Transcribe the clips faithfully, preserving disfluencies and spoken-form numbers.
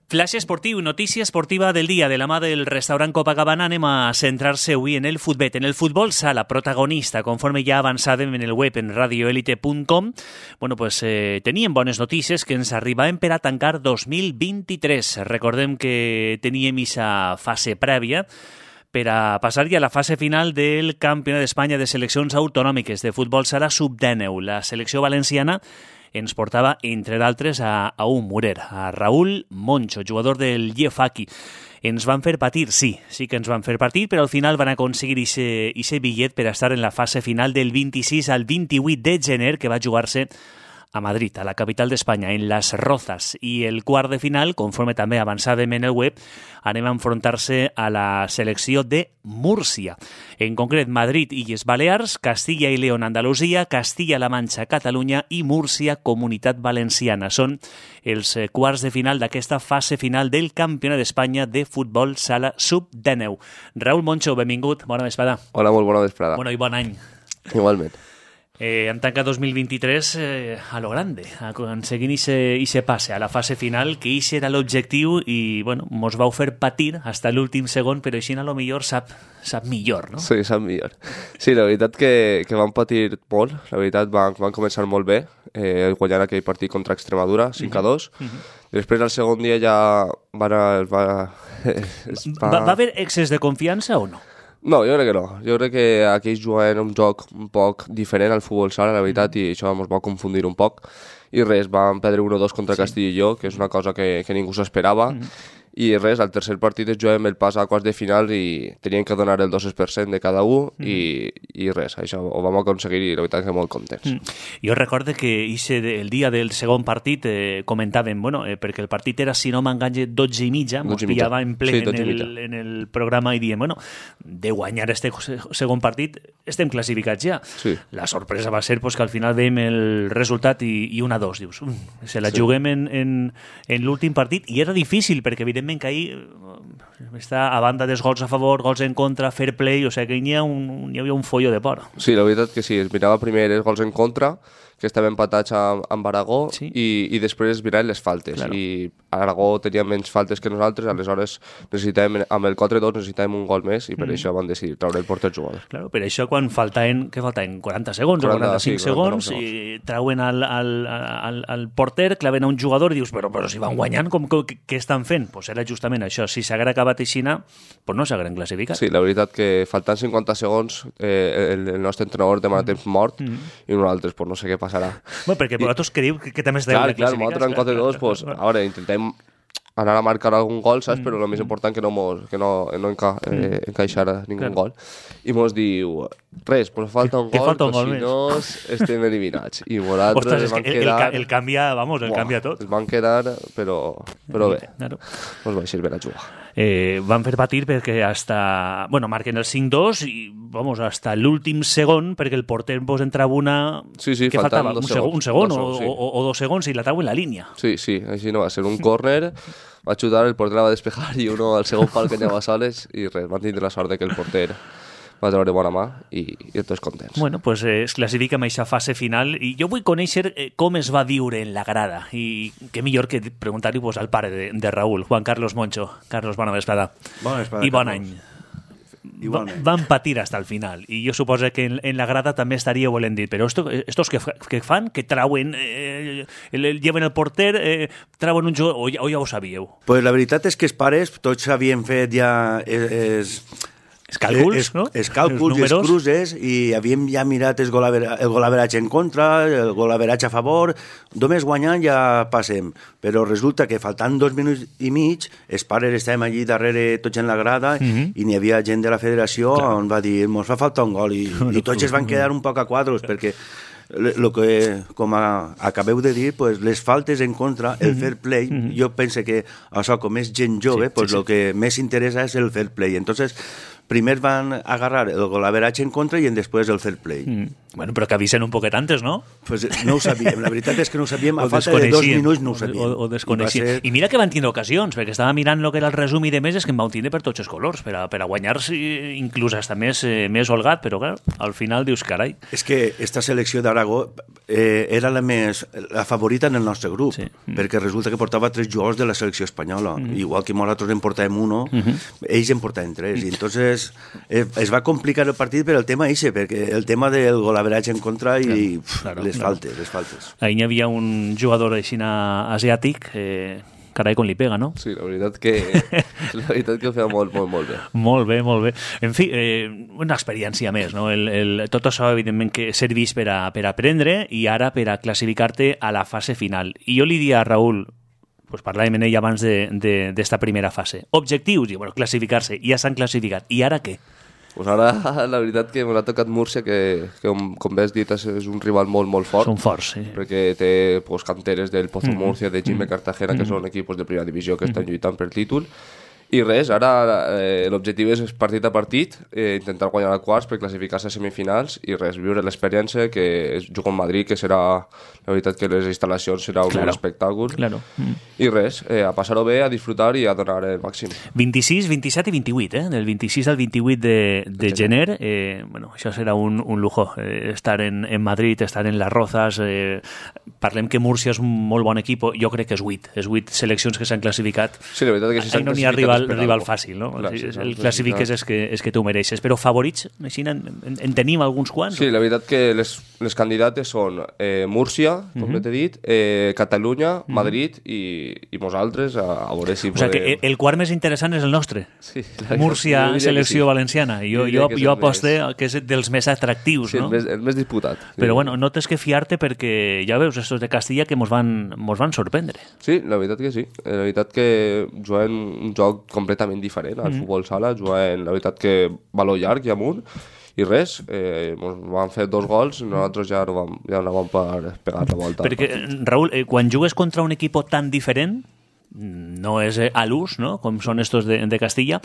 Flash esportiu, notícia esportiva del dia de la mà del restaurant Copacabana. Anem a centrar-se avui en el futbet, en el futbol sala, protagonista, conforme ja avançàvem en el web en radioelite punt com. Bueno, pues eh, teníem bones notícies que ens arribaven per a tancar dos mil vint-i-tres. Recordem que teníem aquesta fase prèvia per a passar ja a la fase final del Campionat d'Espanya de seleccions autonòmiques de futbol sala sub dinou. La selecció valenciana ens portava, entre d'altres, a, a un murer, a Raúl Moncho, jugador del Llefaqui. Ens van fer patir, sí, sí que ens van fer patir, però al final van aconseguir aquest bitllet per estar en la fase final del vint-i-sis al vint-i-vuit de gener, que va jugar-se a Madrid, a la capital d'Espanya, en Las Rozas. I el quart de final, conforme també avançàvem en el web, anem a enfrontar-se a la selecció de Múrcia. En concret, Madrid, Illes Balears, Castilla i León, Andalusia, Castilla-La Manxa, Catalunya i Múrcia, Comunitat Valenciana. Són els quarts de final d'aquesta fase final del Campionat d'Espanya de futbol sala sub dinou. Raúl Moncho, benvingut, bona vesprada. Hola, molt bona vesprada. Bueno, i bon any. Igualment. Eh, hem tancat dos mil vint-i-tres eh, a lo grande, aconseguint ese passe a la fase final, que ese era l'objectiu i, bueno, mos vau fer patir fins a l'últim segon, però així a lo millor sap, sap millor, no? Sí, sap millor. Sí, la veritat que, que vam patir molt, la veritat van, van començar molt bé, eh, guanyant aquell partit contra Extremadura, cinc a dos. Uh-huh. Uh-huh. Després, el segon dia ja van... Va, va... va, va haver excés de confiança o no? No, jo crec que no. Jo crec que aquells juguen un joc un poc diferent al futbol sala, la veritat, i això ens va confundir un poc. I res, vam perdre un a dos contra sí. Castilla i Lleó, que és una cosa que, que ningú s'esperava. Mm. I res, al tercer partit es juguem el pas a quarts de final i teníem que donar el dos per cent de cada un mm. i, i res, això ho vam aconseguir i la veritat que molt contents. Mm. Jo recordo que ese, el dia del segon partit eh, comentàvem, bueno, eh, perquè el partit era, si no m'enganye, dotze i mitja, mos pillava en ple sí, en, el, en el programa i diem, bueno, de guanyar este segon partit estem classificats ja. Sí. La sorpresa va ser pues, que al final veiem el resultat i, i una a dos, dius, um, se la sí. juguem en, en, en l'últim partit i era difícil perquè evidentment que ahir està a banda dels gols a favor, gols en contra, fair play, o sigui que hi, ha un, hi havia un follo de por. Sí, la veritat que sí, es mirava primer els gols en contra, que estaven empatats amb, amb Aragó, sí. i, i després es miraven les faltes. Claro. I Aragó tenia menys faltes que nosaltres, aleshores necessitàvem, amb el quatre dos necessitàvem un gol més, i per mm. això van decidir treure el porter jugador. Claro, per això quan faltaven, què faltaven? quaranta segons quaranta, o quaranta-cinc sí, segons, segons, i treuen al, al, al, al porter, claven a un jugador i dius, però, però si van guanyant, com, com, què estan fent? Pues era justament això. Si s'haguera acabat aixina, pues no s'hagueren classificat. Sí, la veritat que faltant cinquanta segons, eh, el, el nostre entrenador demana temps mort, mm. i nosaltres, pues no sé què passarà. Bueno, perquè vosaltres creu que, que també esteu clar, classificats. Clar, nosaltres en quatre dos, pues, a veure, intentem anar a marcar algun gol, saps? Mm. Però el més important que no, mos, que no, no enca, eh, encaixar ningú claro. gol. I mos diu, res, pues falta un que, gol, falta un però gol si no estem eliminats. I nosaltres van el, quedar... El, el canvia, vamos, el Buah, canvia tot. Es van quedar, però, però bé, claro. Mos va servir a jugar. Eh, van fer patir perquè hasta, bueno, marquen el cinc dos i, vamos, hasta l'últim segon, perquè el porter vos entrava una... Sí, sí, que faltava un, segons, un segon dos o, segons, sí. o, o dos segons i la trau en la línia. Sí, sí, així no va ser un córner, va xutar, el porter la va despejar i uno al segon pal que anava soles i res, van tindre la sort de que el porter va treure bona mà i, i tots contents. Bueno, pues eh, es classifica amb aquesta fase final i jo vull conèixer eh, com es va viure en la grada i què millor que preguntar-li pues, al pare de, de Raúl, Juan Carlos Moncho. Carlos, bona vesprada. Bona vesprada, I bon Carlos. any. Igualment. Van patir hasta el final i jo suposo que en, en la grada també estaria volent dir, però esto, estos que, que fan, que trauen eh, el, el, lleven el porter, eh, trauen un jugador, o ja, o ja ho sabíeu? Pues la veritat és que els pares tots havien fet ja es, els càlculs, es, no? Els càlculs, els cruces, i havíem ja mirat el golaveratge en contra, el golaveratge a favor, només guanyant ja passem. Però resulta que faltant dos minuts i mig, els pares estàvem allí darrere tots en la grada, uh-huh. i n'hi havia gent de la federació claro. on va dir, ens fa falta un gol, i, i tots es van quedar un poc a quadros, perquè lo que, com a, acabeu de dir, pues, les faltes en contra, el fair play, mm-hmm. jo penso que això, com és gent jove, sí, pues, sí, lo sí. que més interessa és el fair play. Entonces, primer van agarrar el golaveratge en contra i en després el fair play. Mm. Bueno, però que avisen un poquet antes, no? Pues no ho sabíem, la veritat és que no ho sabíem, a falta de dos minuts no ho sabíem. O, o desconeixíem. I, ser... I mira que van tindre ocasions, perquè estava mirant el que era el resum i de més, és que en vau tindre per tots els colors, per a, per a guanyar-se inclús hasta més, eh, més holgat, però clar, al final dius, carai. És que esta selecció d'Aragó eh, era la més la favorita en el nostre grup, sí. mm. perquè resulta que portava tres jugadors de la selecció espanyola, mm. igual que nosaltres en portàvem uno, mm -hmm. ells en portaven tres, i entonces eh, es va complicar el partit per el tema eixe, perquè el tema del golaveratge en contra i claro, pf, claro, les claro. faltes, les faltes. Ahí hi havia un jugador així asiàtic, eh, carai, com li pega, no? Sí, la veritat que, la veritat que ho feia molt, molt, molt bé. Molt bé, molt bé. En fi, eh, una experiència més, no? El, el, tot això, evidentment, que serveix per a, per a aprendre i ara per a classificar-te a la fase final. I jo li diria a Raül, pues parlàvem en ell abans d'esta primera fase. Objectius, i bueno, classificar-se, ja s'han classificat. I ara què? Pues ara, la veritat que m'ha tocat Múrcia, que, que com, com bé has dit, és un rival molt, molt fort. Són forts, sí. Perquè té pues, canteres del Pozo mm-hmm. Múrcia, de Jimmy mm-hmm. Cartagena, que mm-hmm. són equipos de primera divisió que mm-hmm. estan lluitant per títol. I res, ara eh, l'objectiu és partit a partit, eh, intentar guanyar a quarts per classificar-se a semifinals i res, viure l'experiència que és jugar a Madrid, que serà, la veritat que les instal·lacions serà un claro. espectacle. Claro. Mm. I res, eh, a passar-ho bé, a disfrutar i a donar el màxim. vint-i-sis, vint-i-set i vint-i-vuit, eh? Del vint-i-sis al vint-i-vuit de, de gener, eh, bueno, això serà un, un lujo, eh, estar en, en Madrid, estar en Las Rozas, eh, parlem que Múrcia és un molt bon equip, jo crec que és vuit, és vuit seleccions que s'han classificat. Sí, la veritat que si s'han no classificat rival, rival fàcil, no? Clar, si, el classifiques és que, és que tu mereixes, però favorits, així en, en, en tenim alguns quants? Sí, la veritat que les, les candidates són eh, Múrcia, com uh -huh. t'he dit, eh, Catalunya, Madrid uh -huh. i, i nosaltres, a, a veure si o sigui podem... que el quart més interessant és el nostre. Sí, Múrcia, selecció sí. valenciana. Jo, jo, jo aposte més... que és dels més atractius, sí, no? el més, el més disputat. Sí. Però bueno, no tens que fiar-te perquè ja veus estos de Castilla que mos van, mos van sorprendre. Sí, la veritat que sí. La veritat que juguen un joc completament diferent al mm. futbol sala, juguen, la veritat que valor llarg i amunt, i res, eh, van fer dos gols, nosaltres ja no vam, ja no vam per pegar la volta. Perquè, Raül, eh, quan jugues contra un equip tan diferent, no és a l'ús, no? Com són estos de, de Castilla,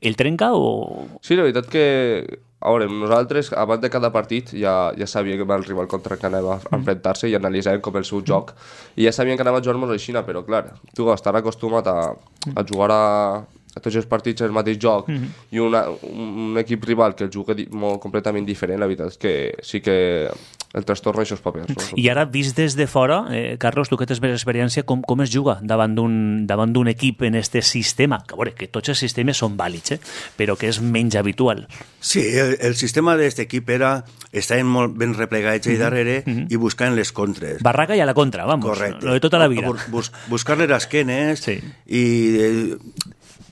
el trenca o...? Sí, la veritat que... A veure, nosaltres, abans de cada partit, ja, ja sabíem que el rival contra que anava a enfrontar-se i analitzàvem com el seu joc. I ja sabíem que anava a jugar-nos així, però clar, tu estar acostumat a, a jugar a, a tots els partits el mateix joc mm-hmm. i una, un, un equip rival que el juga di, molt completament diferent, la veritat és que sí que el trastorno això és papers. No? I ara, vist des de fora, eh, Carlos, tu que tens més experiència, com, com es juga davant d'un davant d'un equip en este sistema? Que, a veure, que tots els sistemes són vàlids, eh? Però que és menys habitual. Sí, el, el sistema d'aquest equip era estar molt ben replegats allà darrere mm-hmm. i buscant les contres. Barraca i a la contra, vamos. Correcte. Lo de tota la vida. Bus, buscar-li les esquenes sí. i... Eh,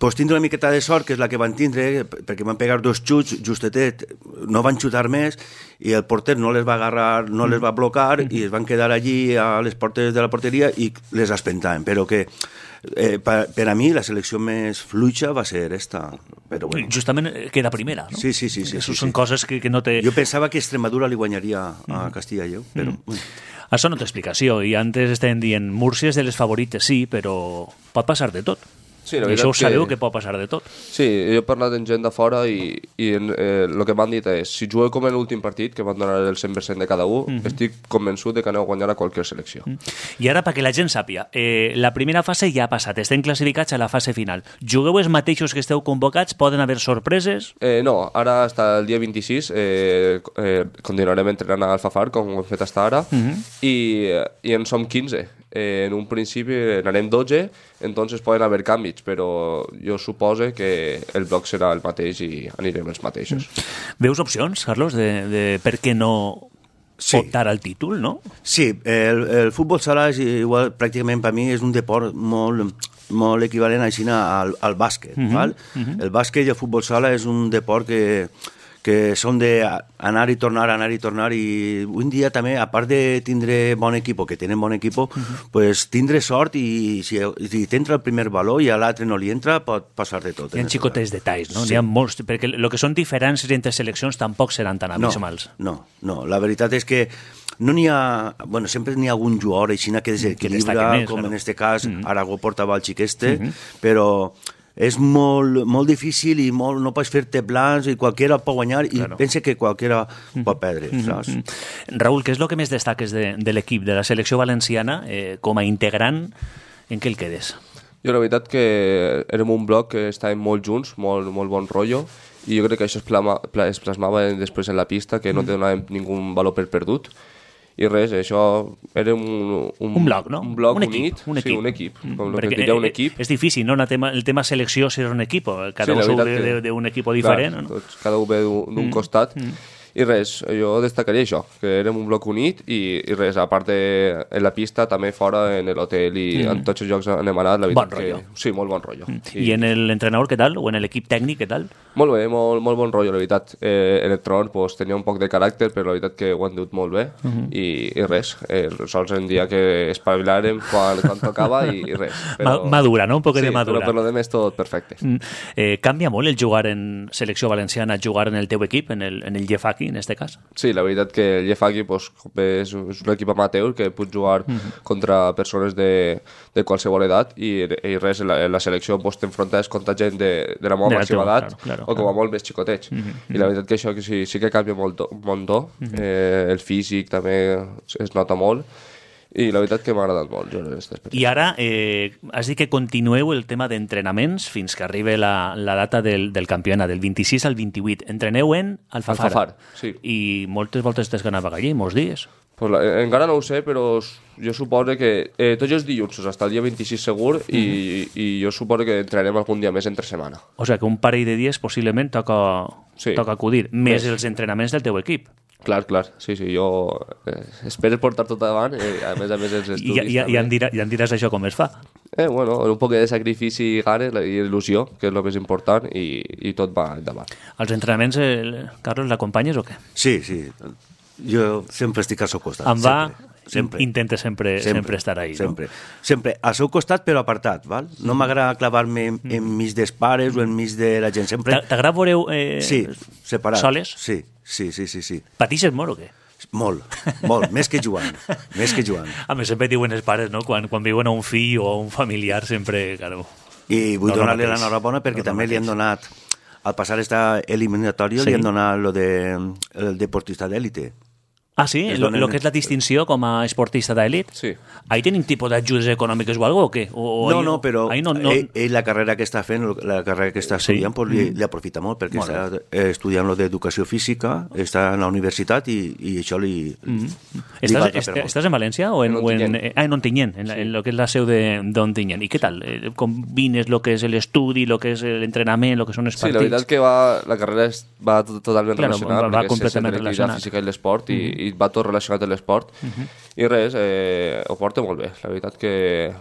pues tindre una miqueta de sort, que és la que van tindre, perquè van pegar dos xuts, justetet, no van xutar més, i el porter no les va agarrar, no les va blocar, mm-hmm. i es van quedar allí a les portes de la porteria i les espentaven, però que eh, per, per a mi la selecció més fluixa va ser esta. Però bueno. Justament queda primera, no? Sí, sí, sí. sí, Això sí, són sí. coses que, que no té... Jo pensava que Extremadura li guanyaria a Castilla i Lleó, però... Mm. Bueno. Això no té explicació, i antes estàvem dient Múrcia és de les favorites, sí, però pot passar de tot. Sí, I això ho sabeu que... que pot passar de tot. Sí, jo he parlat amb gent de fora i, i eh, el que m'han dit és si jugueu com en l'últim partit, que van donar el cent per cent de cada un, mm-hmm. estic convençut de que aneu a guanyar a qualsevol selecció. Mm. I ara, perquè la gent sàpia, eh, la primera fase ja ha passat, estem classificats a la fase final. Jugueu els mateixos que esteu convocats? Poden haver sorpreses? Eh, no, ara hasta el dia vint-i-sis eh, eh, continuarem entrenant a Alfafar, com ho hem fet fins ara, mm-hmm. i, i en som quinze. Eh, en un principi n'anem dotze, entonces poden haver canvis, però jo suposo que el bloc serà el mateix i anirem els mateixos. Veus opcions, Carlos, de, de per què no sí. optar al títol, no? Sí, el, el futbol sala és igual, pràcticament per mi és un deport molt, molt equivalent així al, al bàsquet. Mm-hmm. Val? Mm-hmm. El bàsquet i el futbol sala és un deport que que són d'anar i tornar, anar i tornar, i un dia també, a part de tindre bon equip, que tenen bon equip, uh-huh. pues tindre sort i si, si t'entra el primer valor i a l'altre no li entra, pot passar de tot. Hi ha xicotets detalls, no? Sí. N'hi ha molts, perquè el que són diferències entre seleccions tampoc seran tan abismals. No, no, no, la veritat és que no n'hi ha... Bueno, sempre n'hi ha algun jugador així que desequilibra, com claro. En este cas, mm-hmm. Aragó portava el xic este, mm-hmm. però és molt, molt difícil i molt, no pots fer-te plans i qualsevol pot guanyar i claro. Pensa que qualsevol pot perdre, mm -hmm. saps? Raúl, què és el que més destaques de, de l'equip, de la selecció valenciana, eh, com a integrant, en què el quedes? Jo la veritat que érem un bloc que estàvem molt junts, molt, molt bon rotllo, i jo crec que això es, plama, es plasmava després en la pista, que no donàvem ningú valor per perdut, i res, això era un... Un, un bloc, no? Un bloc un unit. Equip, un equip. Sí, un equip. Mm. Com que diria un equip. És difícil, no? Tema, el tema selecció ser un equip. Cada sí, un sou d'un equip diferent. Clar, no? Tots, cada un ve d'un mm. costat. Mm. I res, jo destacaria això, que érem un bloc unit i, i res, a part de en la pista, també fora, en l'hotel i mm. en tots els llocs on hem anat, la veritat bon rotllo. que... Sí, molt bon rotllo. Mm. I, I en l'entrenador, què tal? O en l'equip tècnic, què tal? Molt bé, molt, molt bon rotllo, la veritat. Eh, en l'entrenador pues, tenia un poc de caràcter, però la veritat que ho han dut molt bé. Mm -hmm. I, I res, eh, sols en dia que espavilàrem quan, quan tocava i, i res. Però... Madura, no? Un poc sí, de madura. Sí, però per lo demés tot perfecte. Mm. Eh, canvia molt el jugar en selecció valenciana, jugar en el teu equip, en el, en el Llefaqui, en este cas? Sí, la veritat que el Llefaqui pues, és, és un equip amateur que pot jugar mm -hmm. contra persones de, de qualsevol edat i, i res, en la, en la selecció pues, t'enfrontes contra gent de, de la meva màxima edat claro, claro, o com a molt més xicotets. Mm -hmm. I la veritat que això que sí, sí que canvia molt, molt do. Mm -hmm. eh, el físic també es nota molt. I la veritat que m'ha agradat molt. Jo, I ara, eh, has dit que continueu el tema d'entrenaments fins que arribi la, la data del, del campionat, del vint-i-sis al vint-i-vuit. Entreneu en Alfafar. Alfafar, sí. I moltes voltes t'has ganat allí, molts dies. Pues la, encara no ho sé, però jo suposo que eh, tots els dilluns, hasta el dia vint-i-sis segur, mm-hmm. i, i jo suposo que entrenarem algun dia més entre setmana. O sigui que un parell de dies possiblement toca, sí. toca acudir, més, més els entrenaments del teu equip. Clar, clar, sí, sí, jo eh, espero portar tot davant, eh, a més a més els estudis I, i, i, em dirà, i em diràs això com es fa. Eh, bueno, un poc de sacrifici i ganes i il·lusió, que és el més important, i, i tot va endavant. Els entrenaments, eh, Carlos, l'acompanyes o què? Sí, sí, jo sempre estic al seu costat. Em va... Sempre. Sempre. Intenta sempre, sempre, sempre estar ahí, sempre. no? Sempre, al seu costat però apartat, val? No m'agrada clavar-me en, enmig dels pares o enmig de la gent, sempre... T'agrada veureu eh, sí, separat. Soles? Sí, sí, sí, sí, sí. Patixes molt o què? Molt, molt, més que jugant, més que jugant. A més, sempre diuen els pares, no? Quan, quan viuen a un fill o a un familiar, sempre, claro... I vull no, donar-li no l'enhorabona perquè no, també no li han donat, al passar esta eliminatòria, sí. li han donat lo de, el deportista d'élite. Ah, sí? El donen... que és la distinció com a esportista d'elit? Sí. Ahí tenim tipus d'ajudes econòmiques o algo o què? O, o no, ahí, no, però no, no... Ell, ell la carrera que està fent, la carrera que està estudiant, sí. pues, li, li aprofita molt, perquè molt està bé. estudiant lo d'educació física, està en la universitat i, i això li... Mm -hmm. li estàs, est, estàs en València o en, en, Ontinyent. En, ah, en Ontinyent, en, sí. en lo que és la seu d'Ontinyent. I què tal? Combines lo que és l'estudi, lo que és l'entrenament, lo que són els partits? Sí, la veritat és que va, la carrera és, va totalment claro, relacionada, va, va completament relacionada. La física i l'esport, mm -hmm. i, i va tot relacionat de l'esport, uh-huh. i res, eh, ho porto molt bé. La veritat que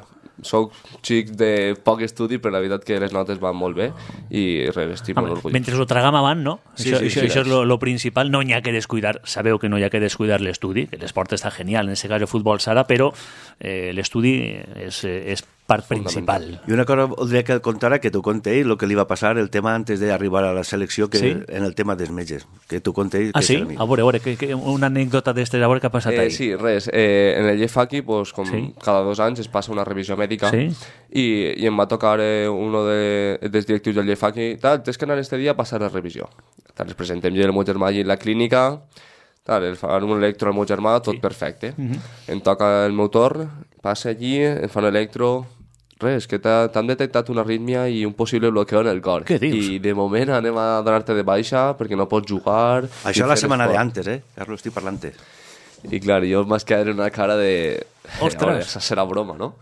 soc xic de poc estudi, però la veritat que les notes van molt bé i res, estic molt orgullós. Mentre ho tragam avant, no? Sí, això sí, això, sí, això és lo, lo principal. No hi ha que descuidar, sabeu que no hi ha que descuidar l'estudi, que l'esport està genial, en aquest cas el futbol sala, però eh, l'estudi és, és part principal. I una cosa voldria que el contara, que tu conté el que li va passar, el tema antes d'arribar a la selecció, que sí? en el tema dels metges, que tu conté... Ah, sí? A veure, a veure, que, que una anècdota d'estes, a veure què ha passat eh, ahí. Sí, res, eh, en el Llefaqui, pues, com sí? cada dos anys es passa una revisió mèdica, sí? i, i em va tocar eh, uno de, dels directius del Llefaqui, tal, tens que anar este dia a passar la revisió. Tal, ens presentem jo i el meu germà allí en la clínica, tal, el fan un electro al meu germà, tot sí. perfecte. Uh -huh. Em toca el meu torn, passa allí, em fan electro... Res, que t'han detectat una arrítmia i un possible bloqueo en el cor. Què dius? I de moment anem a donar-te de baixa perquè no pots jugar... Això la setmana de antes, eh? Carlos, estic parlant. I clar, jo m'has quedat en una cara de... Ostres! Això serà broma, no?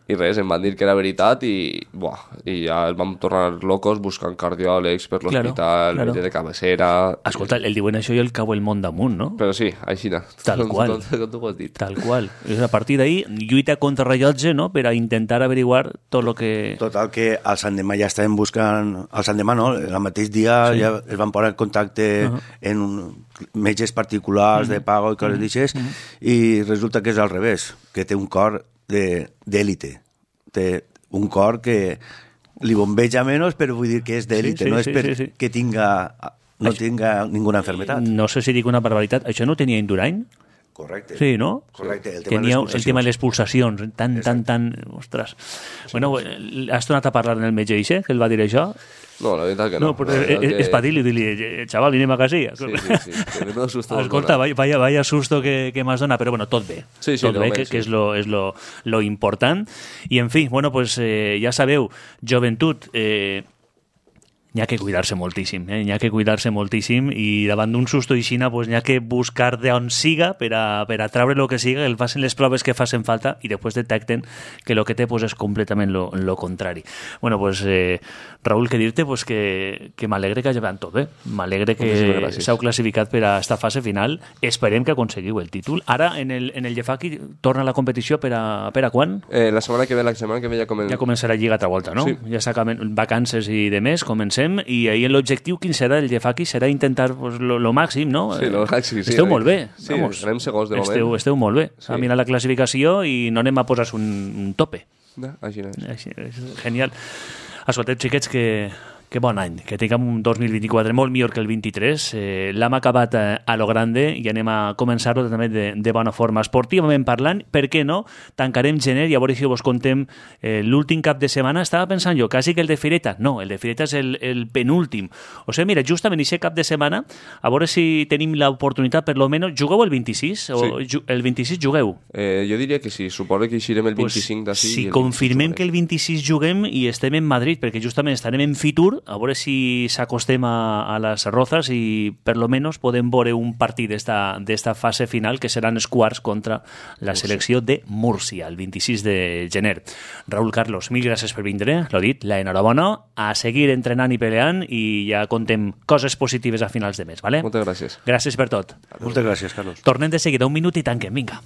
I res, em van dir que era veritat i, buah, i ja el vam tornar locos buscant cardiòlegs per l'hospital, claro, claro. de cabecera... Escolta, el diuen això i el cau el món damunt, no? Però sí, així no. Tal qual. Com, com, com tu ho has dit. Tal qual. És a partir d'ahir, lluita contra rellotge, no?, per a intentar averiguar tot el que... Total, que al Sant Demà ja estàvem buscant... Al Sant Demà, no? El mateix dia sí. ja es van posar en contacte uh -huh. en un, metges particulars uh -huh. de pago i coses uh -huh. d'aixes, uh -huh. i resulta que és al revés, que té un cor d'élite. Té un cor que li bombeja menys, però vull dir que és d'élite, sí, sí, no és sí, per sí, sí. que tinga, no això, tinga ninguna enfermedad. No sé si dic una barbaritat. Això no tenia Indurain? Correcte. Sí, no? Correcte. El Que tema, n'hi ha, de les el tema de pulsacions. les pulsacions, tan, tan, tan... Ostres. Bueno, has tornat a parlar amb el metge Ixe, que el va dir això? No, la veritat que no. No, però La és, veritat és, que- és per dir-li, dir-li, xaval, anem a casa. Sí, sí, sí, que menudo susto nos Escolta, dona. vaya, vaya, vaya susto que, que m'has donat, però bueno, tot bé. Sí, sí, tot de bé, moment, que, sí. que és, lo, és lo, lo important. I, en fi, bueno, pues, eh, ja sabeu, joventut, eh, n'hi ha que cuidar-se moltíssim, eh? n'hi ha que cuidar-se moltíssim i davant d'un susto aixina pues, n'hi ha que buscar d'on siga per a, per a treure el que siga, que el facin les proves que facin falta i després detecten que el que té pues, és completament lo, lo contrari. Bueno, pues, eh, Raúl, que dir-te pues, que, que m'alegre que hagi anat tot bé, m'alegre Moltíssimes que gràcies. s'heu classificat per a esta fase final, esperem que aconseguiu el títol. Ara, en el, en el Jefaki, torna la competició per a, per a quan? Eh, la setmana que ve, la setmana que ve ja comencem. Ja comença la Lliga altra volta, no? Sí. Ja s'acaben vacances i de més, comencem, i ahir l'objectiu, quin serà el Jefaki? Serà intentar pues, lo, lo màxim, no? Sí, lo màxim, sí. Esteu molt bé. Sí, anem segons de moment. Esteu, esteu molt bé. Sí. A mirar la classificació i no anem a posar un, un tope. Ja, així no és. Així, és genial. Escolteu, xiquets, que, que bon any, que tinguem un dos mil vint-i-quatre molt millor que el vint-i-tres. Eh, L'hem acabat eh, a lo grande i anem a començar-ho també de, de bona forma. Esportivament parlant, per què no? Tancarem gener i a veure si vos contem eh, l'últim cap de setmana. Estava pensant jo, quasi que el de Fireta. No, el de Fireta és el, el penúltim. O sigui, mira, justament aquest cap de setmana, a veure si tenim l'oportunitat, per lo menos, jugueu el vint-i-sis? O Sí. ju- el vint-i-sis jugueu? Eh, jo diria que sí, suposo que eixirem el vint-i-cinc d'ací. Si confirmem que el vint-i-sis juguem i estem en Madrid, perquè justament estarem en Fitur, a veure si s'acostem a, a les Rozas i per lo menos podem veure un partit d'esta d'esta fase final que seran els quarts contra la selecció de Múrcia, el vint-i-sis de gener. Raúl Carlos, mil gràcies per vindre, l'ho dit, la enhorabona, a seguir entrenant i peleant i ja contem coses positives a finals de mes, ¿vale? Moltes gràcies. Gràcies per tot. Moltes gràcies, Carlos. Tornem de seguida, un minut i tanquem, vinga.